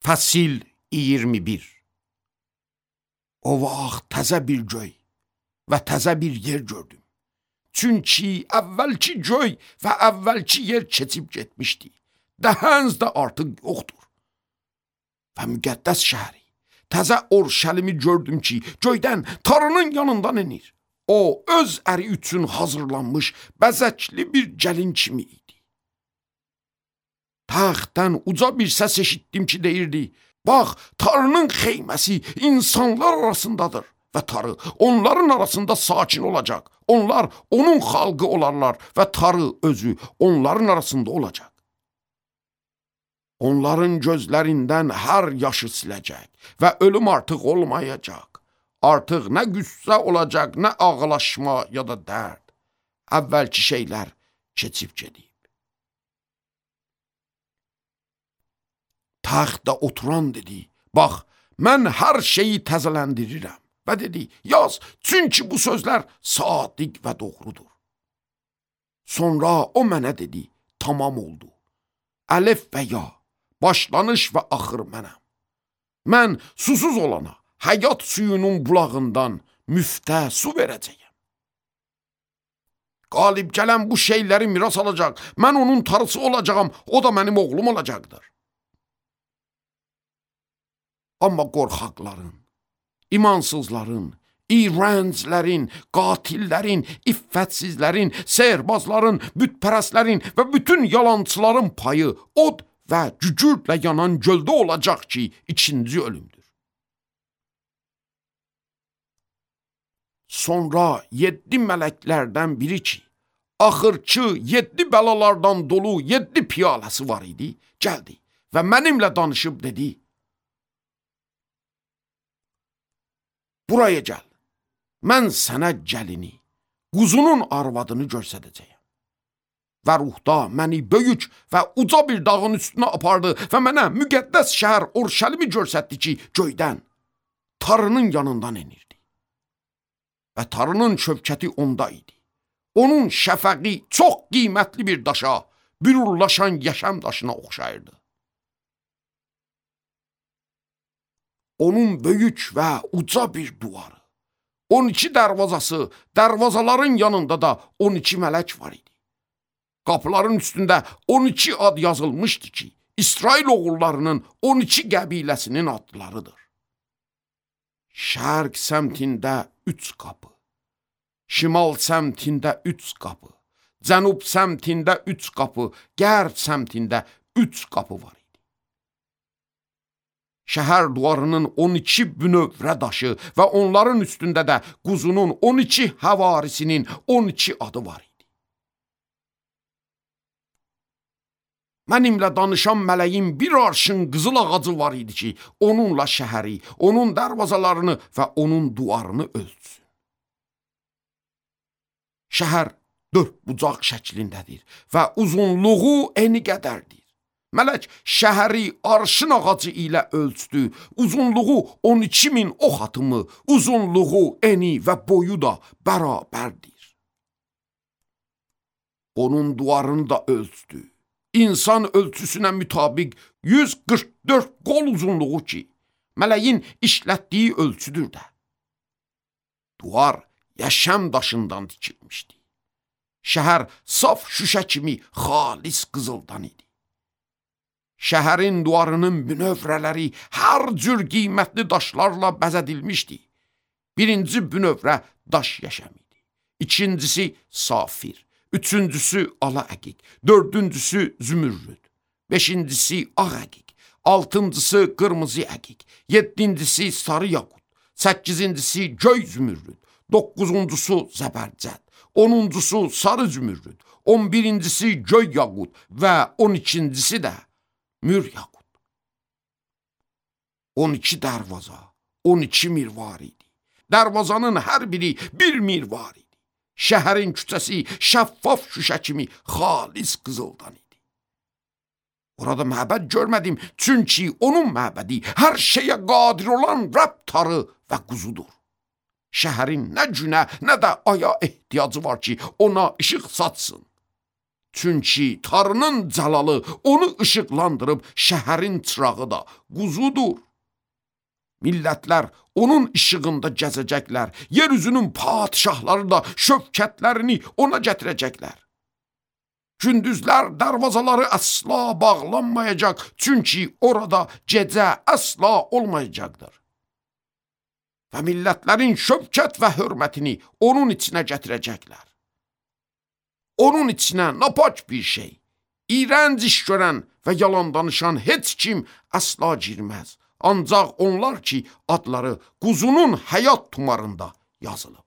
Fəsil 21. O vaxt təzə bir göy və təzə bir yer gördüm. Çünki əvvəlki göy və əvvəlki yer keçib getmişdi. Dəhənz də artıq yoxdur. Və müqəddəs şəhəri, təzə Orşəlimi gördüm ki, göydən Tanrının yanından enir. O, öz əri üçün hazırlanmış bəzəkli bir gəlin kimi idi. Taxtdan uca bir səs eşitdim ki, deyirdi: bax, Tanrının xeyməsi insanlar arasındadır və Tanrı onların arasında sakin olacaq. Onlar onun xalqı olarlar və Tanrı özü onların arasında olacaq. Onların gözlərindən hər yaşı siləcək və ölüm artıq olmayacaq. Artıq nə qüssə olacaq, nə ağlaşma ya da dərd. Əvvəlki şeylər keçib gedib. Taxtda oturan dedi: bax, mən hər şeyi təzələndirirəm. Və dedi: yaz, çünki bu sözlər sadiq və doğrudur. Sonra o mənə dedi: tamam oldu. Əlif və ya, başlanış və axır mənəm. Mən susuz olana həyat suyunun bulağından müftə su verəcəyəm. Qalib gələn bu şeyləri miras alacaq. Mən onun tarısı olacağam, o da mənim oğlum olacaqdır. Amma qorxaqların, imansızların, iğrənclərin, qatillərin, iffətsizlərin, sehirbazların, bütpərəstlərin və bütün yalançıların payı od və cücürlə yanan göldə olacaq ki, ikinci ölümdür. Sonra 7 mələklərdən biri ki, axırki 7 bəlalardan dolu 7 piyaləsi var idi, gəldi və mənimlə danışıb dedi: buraya gəl, mən sənə gəlini, quzunun arvadını göstərəcəyəm. Və ruhda məni böyük və uca bir dağın üstünə apardı və mənə müqəddəs şəhər Orşəlimi göstərdi ki, göydən Tanrının yanından enirdi. Və Tanrının şövkəti onda idi. Onun şəfəqi çox qiymətli bir daşa, bürurlaşan yaşam daşına oxşayırdı. Onun böyük və uca bir duvarı, 12 dərvazası, dərvazaların yanında da 12 mələk var idi. Qapıların üstündə 12 ad yazılmışdı ki, İsrail oğullarının 12 qəbiləsinin adlarıdır. Şərq səmtində 3 qapı, şimal səmtində 3 qapı, cənub səmtində 3 qapı, qərb səmtində 3 qapı var idi. Şəhər duvarının 12 bünövrə daşı və onların üstündə də quzunun 12 həvarisinin 12 adı var idi. Mənimlə danışan mələyin bir arşın qızıl ağacı var idi ki, onunla şəhəri, onun dərvazalarını və onun duvarını ölçsün. Şəhər 4 bucaq şəklindədir və uzunluğu eni qədərdir. Mələk şəhəri arşın ağacı ilə ölçdü. Uzunluğu 12.000 ox atımı, uzunluğu, eni və boyu da bərabərdir. Onun duvarını da ölçdü. İnsan ölçüsünə mütabiq 144 qol uzunluğu ki, mələyin işlətdiyi ölçüdür də. Duvar yaşam daşından tikilmişdi. Şəhər saf şüşə kimi xalis qızıldan idi. Şəhərin duvarının bünövrələri hər cür qiymətli daşlarla bəzədilmişdi. Birinci bünövrə daş yaşam idi. İkincisi safir. Üçüncüsü ala əqiq, dördüncüsü zümürrüd, beşincisi ağ əqiq, altıncısı qırmızı əqiq, yeddincisi sarı yaqut, səkkizincisi göy zümürrüd, doqquzuncusu zəbərcəd, onuncusu sarı zümürrüd, 11-incisi göy yaqut və 12-incisi də mür yaqut. 12 dərvaza, 12 mirvar idi. Dərvazanın hər biri bir mirvar idi. Şəhərin küçəsi şəffaf şüşə kimi xalis qızıldan idi. Orada məbəd görmədim, çünki onun məbədi hər şeyə qadir olan Rəbb Tanrı və quzudur. Şəhərin nə günə, nə də aya ehtiyacı var ki, ona işıq satsın. Çünki Tanrının cəlalı onu işıqlandırıb, şəhərin çırağı da quzudur. Millətlər onun işığında gəzəcəklər, yeryüzünün padişahları da şövkətlərini ona gətirəcəklər. Gündüzlər darvazaları əsla bağlanmayacaq, çünki orada gecə əsla olmayacaqdır. Və millətlərin şövkət və hörmətini onun içinə gətirəcəklər. Onun içinə napak bir şey, iyrənc iş görən və yalan danışan heç kim əsla girməz. Ancaq onlar ki, adları quzunun həyat tumarında yazılıb.